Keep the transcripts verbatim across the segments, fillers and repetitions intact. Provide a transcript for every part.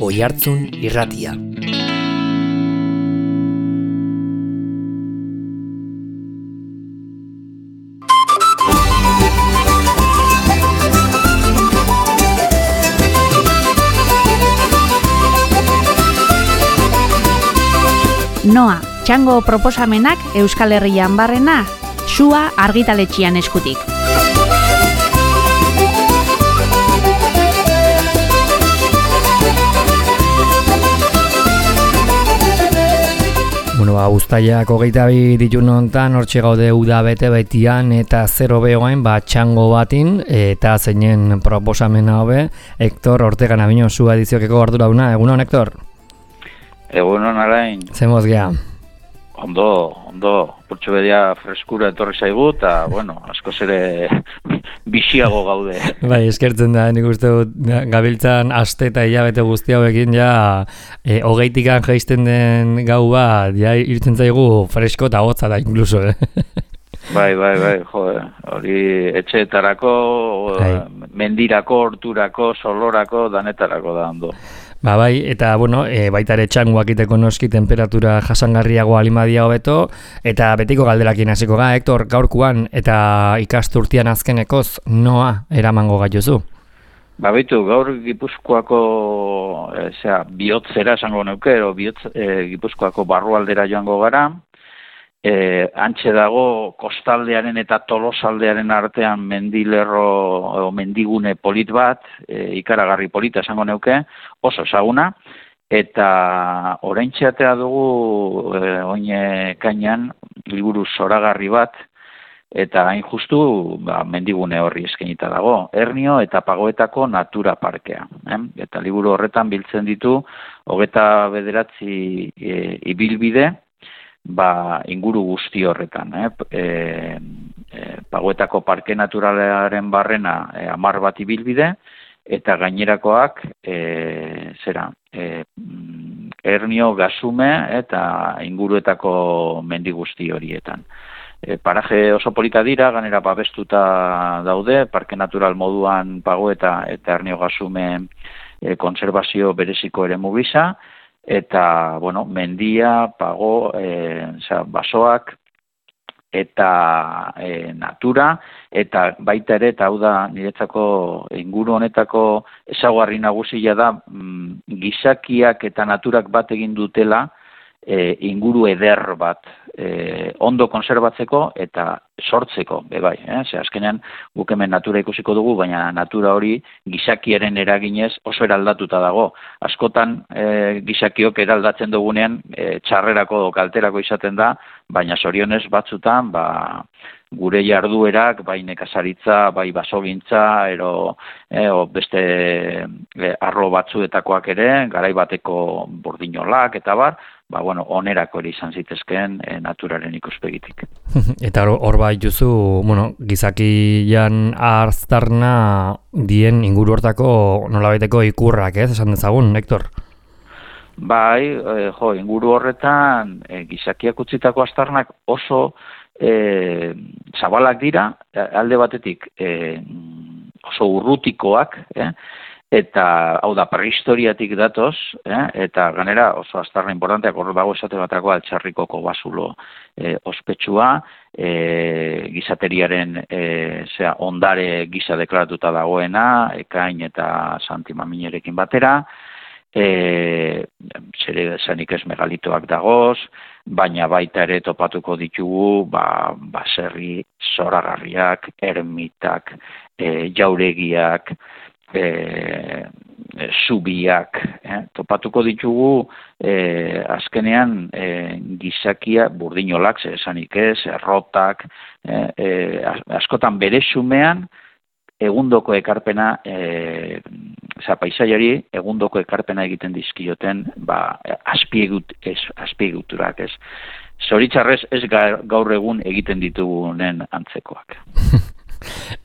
Oihartzun Irratia. Noa, txango proposamenak Euskal Herrian barrena, Sua argitaletxean eskutik. Bueno, ba, uztailak hogeita bi ditun hontan, hortxe gaude uda bete betian eta zero behoain, ba, txango batin, eta zeinen proposamena hobe, Hector Ortega Nabino, zu ediziokeko ardurauna. Egunon, Hector? Egunon, Alain. Zemoz gea? Ondo, ondo, purtsu bedia freskura etorri zaigu, eta, bueno, askoz ere bixiago gaude. Bai, eskertzen da, nik uste dut, gabiltzan aste eta hilabete guzti hauekin, ja, e, hogeitikan jaisten den gau bat, ja, irtzen zaigu fresko eta hotza da, inkluso, eh? Bai, bai, bai, jo, hori etxeetarako, bai. Mendirako, horturako, solorako, danetarako da, ondo. Ba bai, eta bueno, e, baita ere txangoak iteko noski temperatura jasangarriago alimadia hobeto, eta betiko galderakin hasiko ga, Hector, gaurkuan eta ikasturtian azkenekoz noa eramango gaituzu? Ba baitu, gaur Gipuzkoako e, zera, bihotzera esango neuke, ero bihotz, e, Gipuzkoako barrualdera joango gara, e, antxe dago kostaldearen eta tolosaldearen artean mendilerro o mendigune polit bat, e, ikaragarri polita esango neuke, oso ezaguna, eta oraintxeatea dugu e, oine kainan liburu zoragarri bat, eta hain justu ba, mendigune horri eskenita dago, Ernio eta Pagoetako Natura Parkea. Eh? Eta liburu horretan biltzen ditu, hogeita bederatzi e, ibilbide, ba, inguru guzti horretan. Eh? E, e, Pagoetako Parke Naturalaren barrena e, hamar bat ibilbide, eta gainerakoak e, zera, e, Ernio, Gasume eta inguruetako mendi guzti horietan. E, paraje oso polita dira, ganera babestuta daude, parke natural moduan Pagoeta eta Ernio Gasume e, konservazio bereziko ere mugisa, eta, bueno, mendia, pago, e, oza, basoak, eta e, natura, eta baita ere, eta hau da niretzako inguru honetako ezaugarri nagusia da, mm, gizakiak eta naturak bat egin dutela, e, inguru eder bat e, ondo konserbatzeko eta sortzeko, bebai. Eh? Ze azkenean guk hemen natura ikusiko dugu, baina natura hori gizakiaren eraginez oso eraldatuta dago. Askotan e, gizakiok eraldatzen dugunean e, txarrerako kalterako izaten da, baina zorionez batzutan ba, gure jarduerak, bai nekazaritza, bai basogintza, ero, e, o beste e, arlo batzuetakoak ere, garai bateko burdinolak eta bar, ba, bueno, onerako ere izan zitezkeen e, naturaren ikuspegitik. Eta hor bai duzu, bueno, gizakian arztarna dien inguru hortako nolabaiteko ikurrak, ez, esan dezagun, Hector? Bai, e, jo, inguru horretan e, gizakiak utzitako aztarnak oso e, zabalak dira, alde batetik e, oso urrutikoak, eh? Eta, hau da, prehistoriatik datoz, eh? Eta ganera oso aztarna importanteak hor dago esate batako altxarrikoko basulo eh, ospetsua, eh, gizateriaren eh, zera, ondare gisa deklaratuta dagoena, Ekain eta Santi Maminerekin batera, eh, zere zanik ez megalitoak dagoz, baina baita ere topatuko ditugu, ba, baserri zoragarriak, ermitak, eh, jauregiak, E, e, zubiak, eh? Topatuko ditugu e, azkenean e, gizakia burdinolak, esanik ez, errotak, e, e, askotan bere xumean egundoko ekarpena, e, oza, paisaiari egundoko ekarpena egiten dizkioten ba, azpiegut, ez, azpieguturak, ez. Zoritxarrez ez gaur egun egiten ditugunen antzekoak.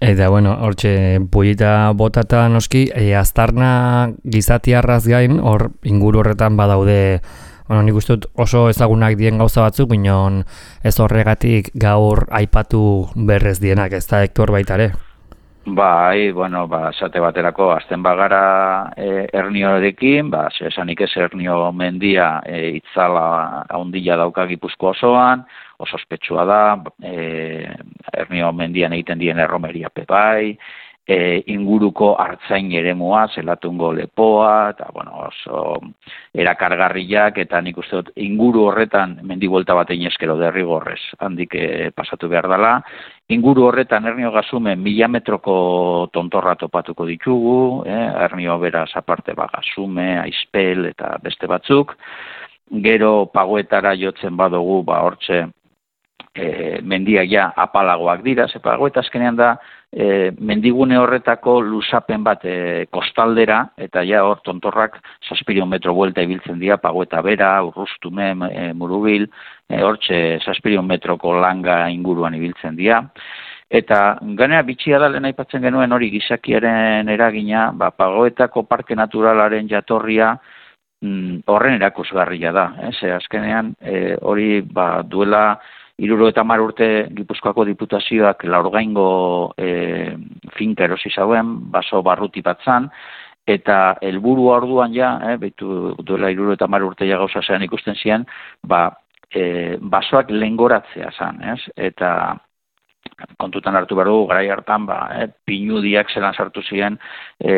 Eta, bueno, hortxe, pullita botata noski, e, aztarna gizatiarraz gain, hor inguru horretan badaude, bueno, nik uste dut oso ezagunak dien gauza batzuk, binon ez horregatik gaur aipatu berrez dienak, ez da, Hector, baita ere? Bai, bueno, ba, esate baterako, azten bagara e, Erniorekin, ba, esanik ez Ernio mendia e, itzala handia dauka Gipuzkoa osoan, oso ospetsua da, e, Ernio mendian egiten dien erromeria pepai, e, inguruko hartzain eremua, zelatungo lepoa, eta, bueno, oso erakargarriak, eta nik uste dut, inguru horretan mendibuelta bat egin eskero derrigorrez, handik e, pasatu behar dela. Inguru horretan Ernio Gazumen mila metroko tontorra topatuko ditugu, eh? Ernio beraz aparte ba, Gazume, Aizpel eta beste batzuk. Gero pagoetara jotzen badugu, ba, hortxe e, mendiak ja apalagoak dira, ze pagoeta azkenean da e, mendigune horretako lusapen bat e, kostaldera, eta ja hor tontorrak zazpiron metro buelta ibiltzen dira, pagoeta bera, urrustume, e, murubil, e, hortxe zazpiron metroko langa inguruan ibiltzen dira. Eta ganea bitxia da lehen aipatzen genuen hori gizakiaren eragina, ba, pagoetako parke naturalaren jatorria mm, horren erakusgarria da. Eh? Ze azkenean e, hori ba, duela hirurogeita hamar urte Gipuzkoako Diputazioak Laurgaingo e, finka erosi zauen, baso barruti bat zan, eta helburua orduan ja, eh, behitu duela hirurogeita hamar urte ja gauza zean ikusten zian, ba, e, basoak lengoratzea zan, ez? Eta kontutan hartu behar dugu, garai hartan, ba, eh, pinudiak zelan sartu ziren e,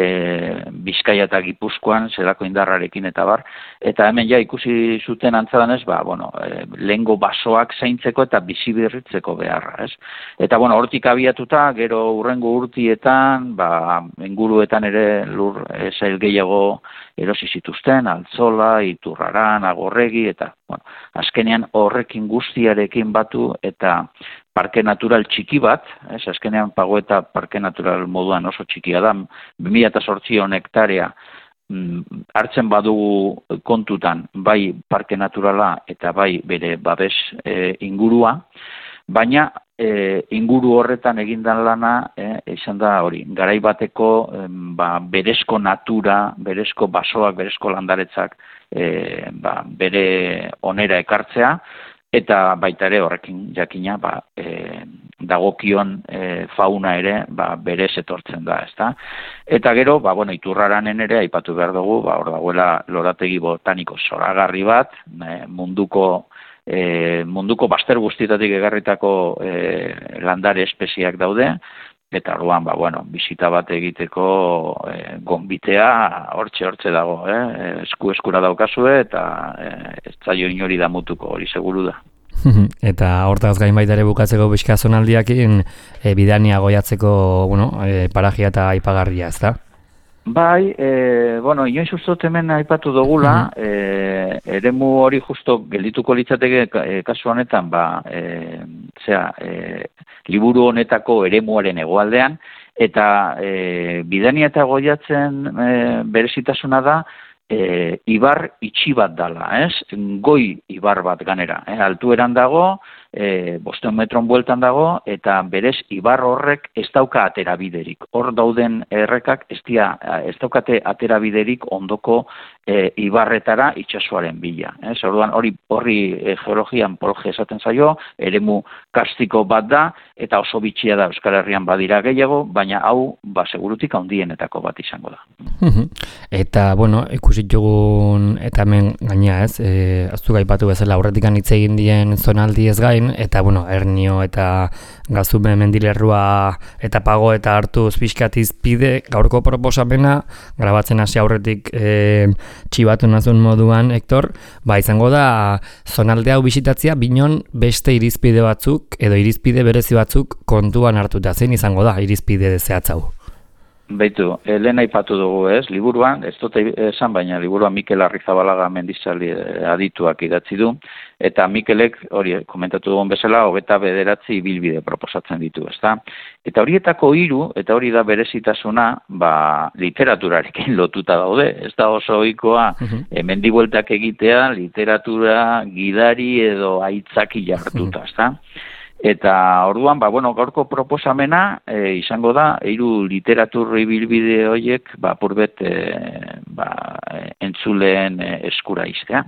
Bizkaia eta Gipuzkoan, zelako indarrarekin eta bar, eta hemen ja ikusi zuten antzadanez, ba, bueno, e, lehengo basoak zaintzeko eta bizi berritzeko beharra, ez? Eta, bueno, hortik abiatuta, gero urrengo urtietan, ba, inguruetan ere lur e, zail gehiago erosi zituzten, Altzola, Iturraran, Agorregi, eta, bueno, azkenean horrekin guztiarekin batu, eta parke natural txiki bat, ez, azkenean pagoeta parke natural moduan oso txikia da, bi mila zortziehun hektarea mm, hartzen badugu kontutan, bai parke naturala eta bai bere babes e, ingurua, baina e, inguru horretan egindan lana, e, izan da hori, garai bateko e, ba, berezko natura, berezko basoak, berezko landaretzak e, ba, bere onera ekartzea, eta baita ere horrekin jakina ba, e, dagokion e, fauna ere ba, berez etortzen da, ezta? Eta gero, ba, bueno, Iturraranen ere aipatu behar dugu, ba, hor dagoela lorategi botaniko zoragarri bat, e, munduko e, munduko baster guztietatik egarritako e, landare espeziak daude, eta orduan, ba, bueno, bisita bat egiteko e, gonbitea hortxe hortxe dago, eh? esku eskura daukazue, eta e, ez zaio inori damutuko, hori seguru da. Eta hortaz gain baita ere bukatzeko bizka zonaldiakin e, bidania goiatzeko, bueno, e, paragia eta aipagarria, ez da? Bai, e, bueno, inoiz ustot hemen aipatu dugula, mm-hmm. e, eremu hori justo geldituko litzateke e, kasu honetan, ba, e, zera, e, liburu honetako eremuaren hegoaldean, eta e, bidania eta goiatzen e, berezitasuna da, e, ibar itxi bat dala, ez? Goi ibar bat ganera, eh? Altueran dago, e, bosteun metron bueltan dago, eta berez ibar horrek ez dauka aterabiderik. Hor dauden errekak ez, dia, ez daukate aterabiderik ondoko e, ibarretara itsasoaren bila. Ez? Orduan hori horri e, geologian polge esaten zaio, eremu kastiko bat da, eta oso bitxia da Euskal Herrian badira gehiago, baina hau ba, segurutik handienetako bat izango da. Eta, bueno, ikusi dugun, eta hemen gaina ez, e, aztu gaipatu bezala aurretik hitz egin dien zonaldi ez gain, eta, bueno, Ernio eta Gazume mendilerrua eta pago eta hartu pixkatiz pide gaurko proposamena, grabatzen hasi aurretik e, txibatu nazun moduan, Hector, ba, izango da zonalde hau bisitatzea, binon beste irizpide batzuk, edo irizpide berezi batzuk kontuan hartuta, zein izango da irizpide zehatz hau? Beitu, lehen aipatu dugu ez, liburuan, ez dut esan, baina liburuan Mikel Arrizabalaga mendizali adituak idatzi du, eta Mikelek, hori komentatu dugun bezala, hogeita bederatzi ibilbide proposatzen ditu, ezta? Eta horietako hiru, eta hori da berezitasuna, ba, literaturarekin lotuta daude, ez da oso ohikoa uh-huh. e, mendibueltak egitea, literatura, gidari edo aitzaki jartuta, ezta? Eta orduan, ba, bueno, gaurko proposamena e, izango da, hiru literatur ibilbide horiek, ba, purbet, e, ba, entzuleen e, eskura iztea.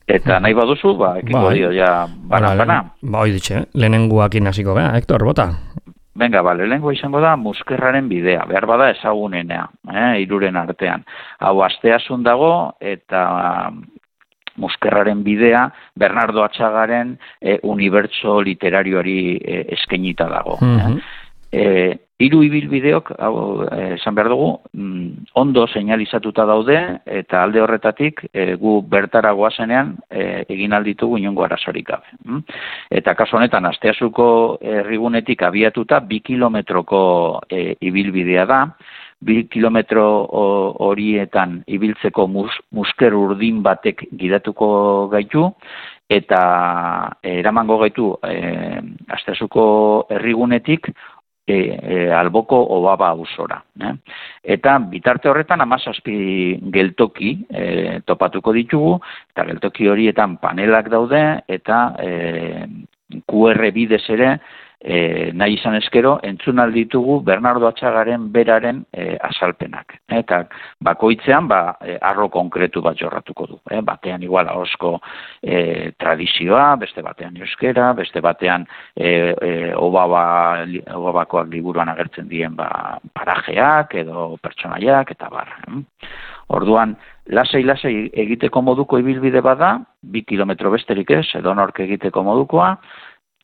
Eta nahi baduzu, ba, ekiko dio ja, bana-bana. Ba, hoi ditxe, lehenenguakin hasiko gara, Hector, bota? Venga, bale, lehenko izango da Muskerraren bidea, behar bada ezagunenea, eh, iruren artean. Hau asteasun dago eta Muskerraren bidea Bernardo Atxagaren eh, unibertso literarioari eh, eskainita dago. Mm-hmm. eh. E, hiru ibilbideok, hau, esan behar dugu, mm, ondo seinalizatuta daude, eta alde horretatik e, gu bertara goazenean e, egin alditugu inongo arazorik gabe. Mm? Eta kasu honetan, Asteasuko herrigunetik abiatuta bi kilometroko e, ibilbidea da, bi kilometro horietan ibiltzeko mus, musker urdin batek gidatuko gaitu, eta eramango gaitu e, Asteasuko herrigunetik E, e, alboko obaba auzora. Eh? Eta bitarte horretan hamazazpi geltoki e, topatuko ditugu, eta geltoki horietan panelak daude, eta e, Q R bidez ere, e, nahi izan eskero, entzun alditugu Bernardo Atxagaren beraren e, azalpenak. Eta bakoitzean, ba, e, arro konkretu bat jorratuko du. Eh? Batean igual ahosko e, tradizioa, beste batean euskera, beste batean e, e, obaba, obabakoak liburuan agertzen dien ba, parajeak edo pertsonaiak eta bar. Eh? Orduan, lasai-lasai egiteko moduko ibilbide bada, bi kilometro besterik ez, edonork egiteko modukoa,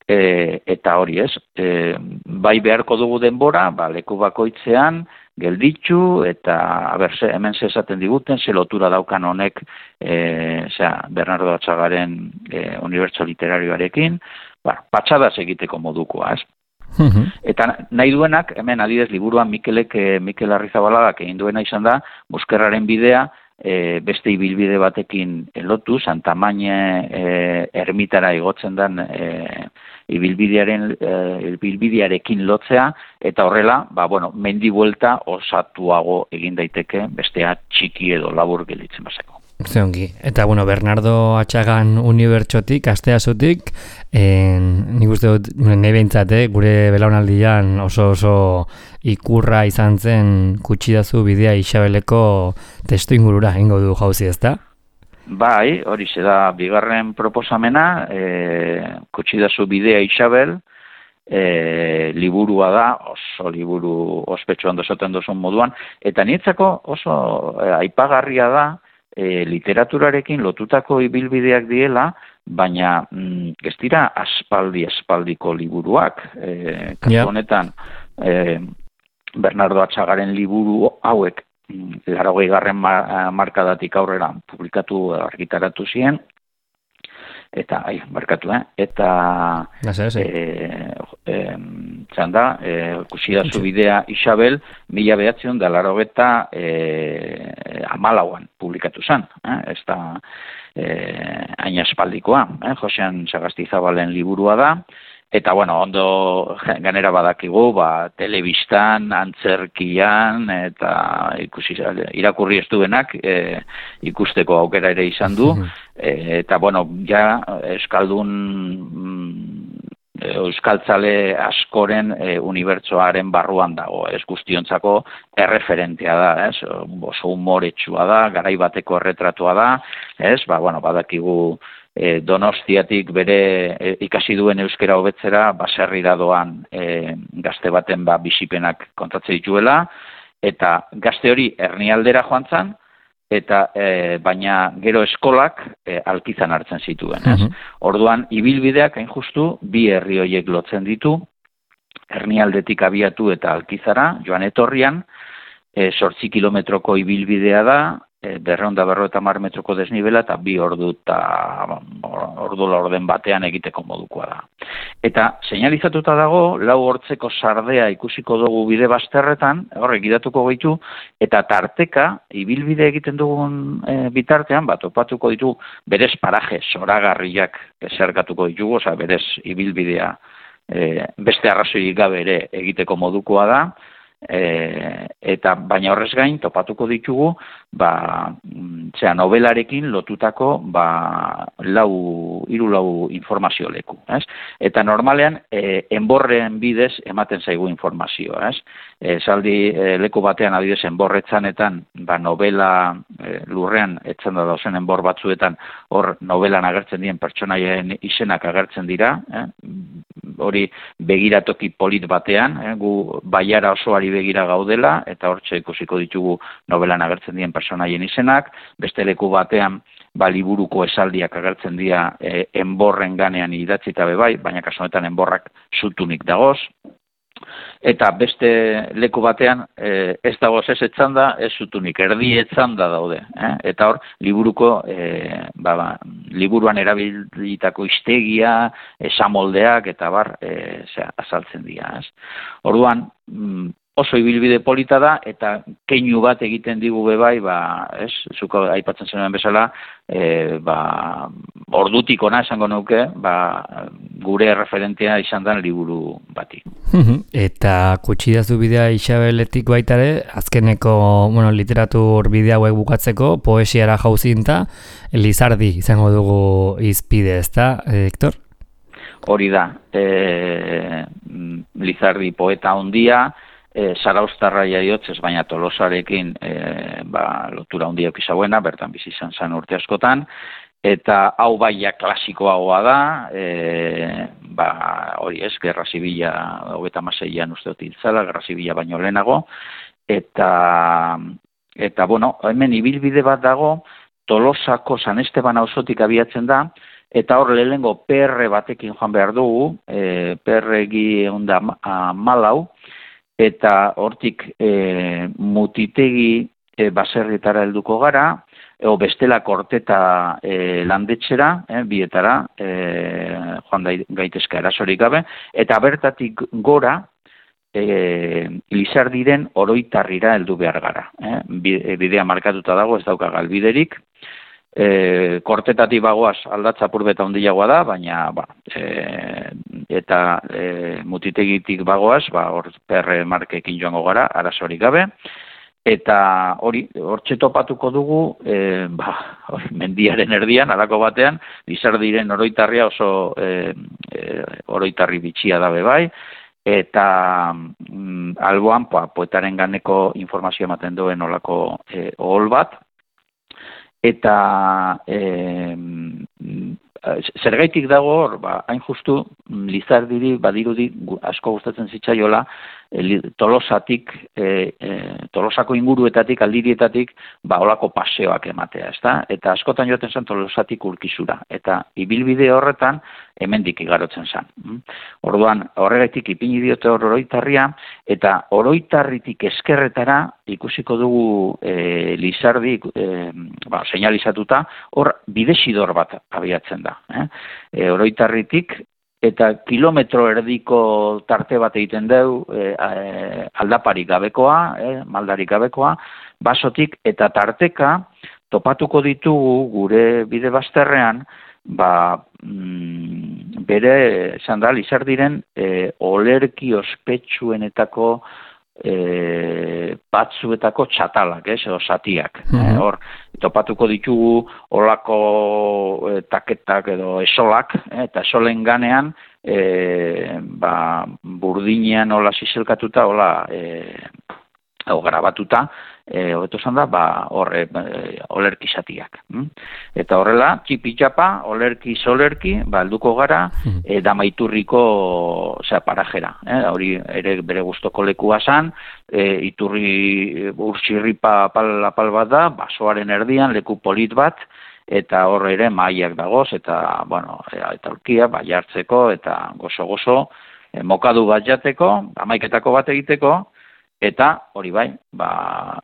E, eta hori ez, e, bai beharko dugu denbora, ba, leku bakoitzean, gelditzu, eta aber, ze, hemen ze esaten diguten, ze lotura daukan honek e, zera, Bernardo Atxagaren e, unibertso literarioarekin, ba, patxadaz egiteko modukoa, ez? Mm-hmm. Eta nahi duenak, hemen adidez, liburuan Mikelek, Mikel Arrizabaladak egin duena izan da, Muskerraren bidea, E, beste ibilbide batekin lotu, Santamaine e, ermitara igotzen den e, ibilbidearen e, ibilbidearekin lotzea, eta horrela, ba, bueno, mendi buelta osatuago egin daiteke, bestea txiki edo labur gelditzen bazeko. Zeongi. Eta, bueno, Bernardo Atxagan unibertsotik, Asteasutik, en, nik uste dut, nahi behintzate, gure belaunaldian oso oso ikurra izan zen Kutsidazu bidea Isabeleko testu ingurura egingo du jauzi, ezta? Bai, hori ze da bigarren proposamena, e, Kutsidazu bidea Isabel, e, liburua da, oso liburu ospetsu ondo esaten duzun moduan, eta nietzako oso e, aipagarria da, E, literaturarekin lotutako ibilbideak diela, baina mm, ez dira aspaldi aspaldiko liburuak. E, kasu honetan, e, Bernardo Atxagaren liburu hauek mm, laurogei garren markadatik aurrera publikatu argitaratu ziren, eta, ai, markatu, eh? Eta, e, e, txanda, e, Kutsidazu bidea Isabel, mila behatzion da laurogeta e, amalauan publikatu zen, eh? Ez da eh, hain aspaldikoa, eh? Josean Sagastizabalen liburua da, eta, bueno, ondo ganera badakigu, ba, telebistan, antzerkian, eta ikusi, irakurri ez duenak e, ikusteko aukera ere izan du, e, eta, bueno, ja, euskaldun euskaltzale askoren e, unibertsoaren barruan dago, ez guztiontzako erreferentea da, ez, oso humoretsua da, garai bateko erretratua da, ez, ba, bueno, badakigu e, Donostiatik bere e, ikasi duen euskera hobetzera, baserrira doan e, gazte baten ba, bisipenak kontatze dituela, eta gazte hori Hernialdera joan zan, eta e, baina gero eskolak e, Alkizan hartzen zituen. Ez? Uh-huh. Orduan, ibilbideak hain justu bi herri horiek lotzen ditu, Hernialdetik abiatu eta Alkizara, joan etorrian, e, zortzi kilometroko ibilbidea da, e, berreunda berroeta mar metroko desnibela, eta bi ordu eta ordu laurden batean egiteko modukoa da. Eta seinalizatuta dago, lau hortzeko sardea ikusiko dugu bide bazterretan, horrek gidatuko gaitu, eta tarteka, ibilbide egiten dugun e, bitartean, bat opatuko ditu, berez paraje, zoragarriak zergatuko ditugu, oza, berez ibilbidea e, beste arrazoi gabe ere egiteko modukoa da, E, eta baina horrez gain topatuko ditugu ba, zera, novelarekin lotutako ba, lau, hiru lau informazio leku. Ez? Eta normalean e, enborren bidez ematen zaigu informazioa. Ez? E, zaldi e, leku batean adibidez enborretzanetan ba, novela e, lurrean etzan da dauzen enbor batzuetan hor novelan agertzen dien pertsonaien izenak agertzen dira, eh? hori begiratoki polit batean, eh, gu baiara osoari begira gaudela, eta hortxe ikusiko ditugu novelan agertzen dien personaien izenak, beste leku batean ba, liburuko esaldiak agertzen dira e, enborren ganean idatzita bebai, baina kasu honetan enborrak zutunik dagoz. Eta beste leku batean e, ez dagoz ez etzanda, ez zutunik, erdi etzanda daude. Eh? Eta hor, liburuko, e, ba, ba, liburuan erabilitako istegia, esamoldeak, eta bar, e, zera, azaltzen dira. Ez? Orduan, mm, oso ibilbide polita da, eta keinu bat egiten digu bebai, ba, ez, zuko aipatzen zenuen bezala, e, ba, ordutik ona esango nuke, ba, gure referentea izan den liburu bati. Eta kutsidazu bidea Isabeletik baitare, azkeneko bueno, literatur bidea hauek bukatzeko, poesiara jauzinta, Lizardi izango dugu izpide, ezta, Hector? Hori da, e, Lizardi poeta hondia, E, Zarauztarra jaiotzez, baina Tolosarekin e, ba, lotura handia okizauena, bertan bizi izan zen urte askotan, eta hau baia klasikoagoa da, e, ba, hori ez, Gerra Zibila, hogeita hamaseian uste dut hiltzala, Gerra Zibila baino lehenago, eta, eta bueno, hemen ibilbide bat dago, Tolosako San Esteban auzotik abiatzen da, eta hor lehengo P R batekin joan behar dugu, e, P R egi egun da malau, eta hortik e, mutitegi e, baserritara helduko gara, o bestela korteta e, landetxera, e, bietara, e, joan da gaitezka erasorik gabe, eta bertatik gora, e, Lizardiren oroitarrira heldu behar gara. E, bidea markatuta dago, ez dauka galbiderik, E, kortetatik bagoaz aldatza purbeta handiagoa da, baina ba, e, eta e, mutitegitik bagoaz, ba, hor perre markekin joango gara, arazorik gabe, eta hori, hortxe topatuko dugu, e, ba, hori, mendiaren erdian, alako batean, Lizardiren oroitarria oso e, e, oroitarri bitxia dabe bai, eta mm, alboan pa, poetaren ganeko informazio ematen duen olako e, ohol bat, eta e, zergaitik dago hor, ba, hain justu Lizardiri badirudi asko gustatzen zitzaiola Tolosatik, e, e, Tolosako inguruetatik, aldirietatik, ba, olako paseoak ematea, ezta? Eta askotan joaten zen Tolosatik Urkizura, eta ibilbide horretan hemendik igarotzen zen. Orduan, horregaitik ipini diote hor oroitarria, eta oroitarritik eskerretara ikusiko dugu e, Lizardi, e, ba, seinalizatuta, hor bidesidor bat abiatzen da. Eh? E, oroitarritik, eta kilometro erdiko tarte bat egiten deu, e, e, aldaparik gabekoa, e, maldarik gabekoa, basotik, eta tarteka topatuko ditugu gure bide bazterrean, ba, mm, bere, esan da, Lizardiren e, olerki ospetsuenetako e, batzuetako txatalak, ez, edo zatiak. Mm-hmm. e, hor, topatuko ditugu olako e, taketak edo esolak, e, eta esolen ganean, e, ba, burdinean hola zizelkatuta, hola e, o, grabatuta, e, hobeto zan da, ba, horre, e, olerki zatiak. Mm? Eta horrela, txipi-txapa, olerki solerki, ba, helduko gara, e, Damaiturriko osea, parajera. Eh? Hori ere bere gustoko lekua zan, e, iturri urtsirripa apal, apal bat da, basoaren erdian, leku polit bat, eta horre ere mailak dagoz, eta, bueno, eta aurkia, bai hartzeko, eta gozo-gozo, e, mokadu bat jateko, hamaiketako bat egiteko, eta hori bai, ba,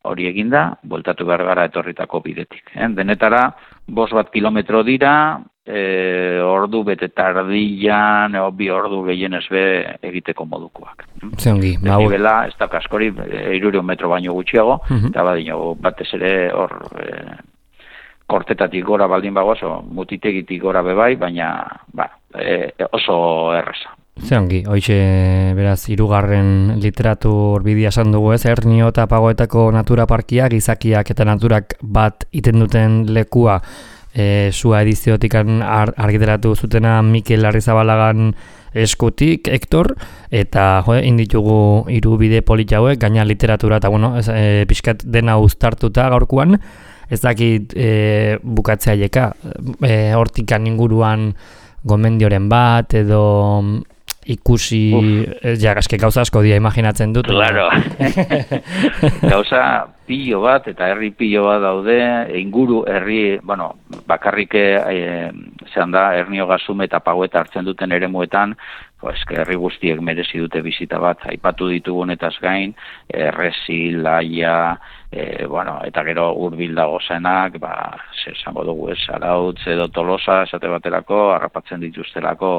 hori eginda, bueltatu behar gara etorritako bidetik. Eh? Denetara, bost bat kilometro dira, e, ordu bete tardian, e, bi ordu gehienez be egiteko modukoak. Zeongi, ba, bela, ez da kaskori, hirurehun metro baino gutxiago, uh-huh. eta badino, batez ere hor, e, kortetatik gora baldin bagoaz, o mutitegitik gora bebai, baina ba, e, oso erreza. Zeongi, hoize beraz hirugarren literatur bidea esan dugu ez, Ernio eta Pagoetako natura parkiak, gizakiak eta naturak bat iten duten lekua e, sua ediziotik ar, argitaratu zutena Mikel Larrizabalagan eskutik, Hector, eta jo, inditugu hiru bide polit hauek, gaina literatura eta bueno, ez, e, pixkat dena uztartuta gaurkoan, ez dakit e, bukatzea jeka, e, hortikan inguruan gomendioren bat edo ikusi, uh. ja, eske gauza asko dia imaginatzen dut. Claro. Gauza pilo bat, eta herri pilo bat daude, inguru herri, bueno, bakarrik e, zean da, Hernio Gazume eta Paueta hartzen duten eremuetan, pues, herri guztiek merezi dute bizita bat, aipatu ditugunetaz gain, Errezi, Laia, e, bueno, eta gero hurbil dago zenak, ba, esango dugu ez, Arautz edo Tolosa, esate baterako, harrapatzen dituztelako,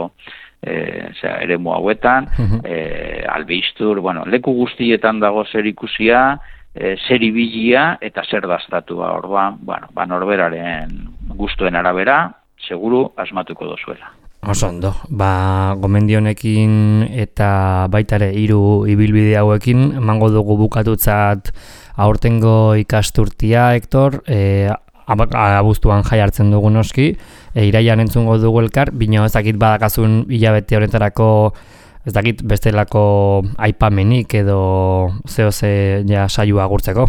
E, zera, eremu hauetan, uh-huh. e, Albistur, bueno, leku guztietan dago zer ikusia, e, zer ibilia eta zer daztatua, orduan, bueno, ba, norberaren gustuen arabera, seguru asmatuko dozuela. Oso ondo, ba, gomendionekin eta baitare hiru ibilbide hauekin, emango dugu bukatutzat aurtengo ikasturtia, Hektor, e, abuztuan jai hartzen dugu noski, e, iraian entzungo dugu elkar, bino ez dakit badakazun hilabete horretarako, ez dakit bestelako aipamenik edo zeo ze ja saioa agurtzeko.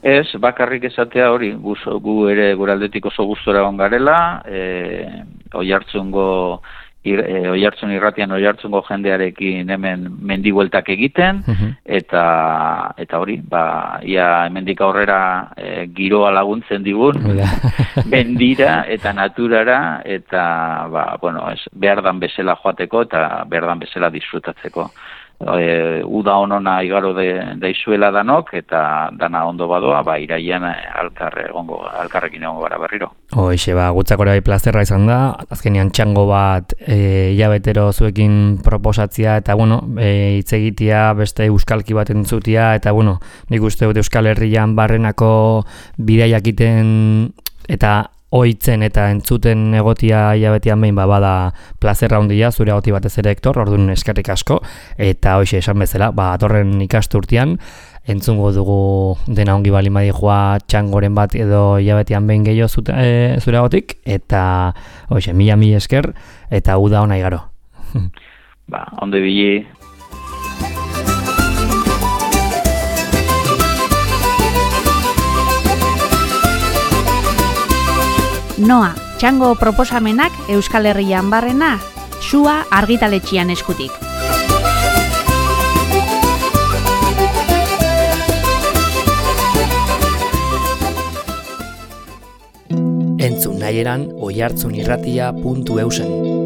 Ez, bakarrik esatea hori, gu, gu ere guraldetik oso gustora ongarela, e, oihartzungo Ir, e, oihartzun irratian oihartzungo jendearekin hemen mendibueltak egiten, uh-huh. eta eta hori, ba, ia hemendik aurrera e, giroa laguntzen digun, mendira eta naturara, eta ba, bueno, ez, behar dan bezala joateko eta behar dan bezala disfrutatzeko. E, uda honona igaro de, daizuela danok, eta dana ondo badoa, ba, iraian alkarre egongo, alkarrekin egongo gara berriro. Hoixe, ba, gutzak bai plazerra izan da, azkenean txango bat e, hilabetero zuekin proposatzia, eta bueno, e, hitz egitea, beste euskalki bat entzutia, eta bueno, nik uste dut Euskal Herrian barrenako bidaiak iten, eta oitzen eta entzuten egotia hilabetean behin ba, bada plazerra handia zure egoti batez ere, Hektor, orduan eskerrik asko, eta hoxe esan bezala, ba, atorren ikasturtean, entzungo dugu dena ongi bali madijua txangoren bat edo hilabetean behin gehiago zute, e, zure egotik, eta hoxe, mila mila esker, eta uda ona igaro. Ba, ondo ibili. Noa, txango proposamenak Euskal Herrian barrena, Sua argitaletxian eskutik. Entzun nahieran oihartzunirratia puntu eusen.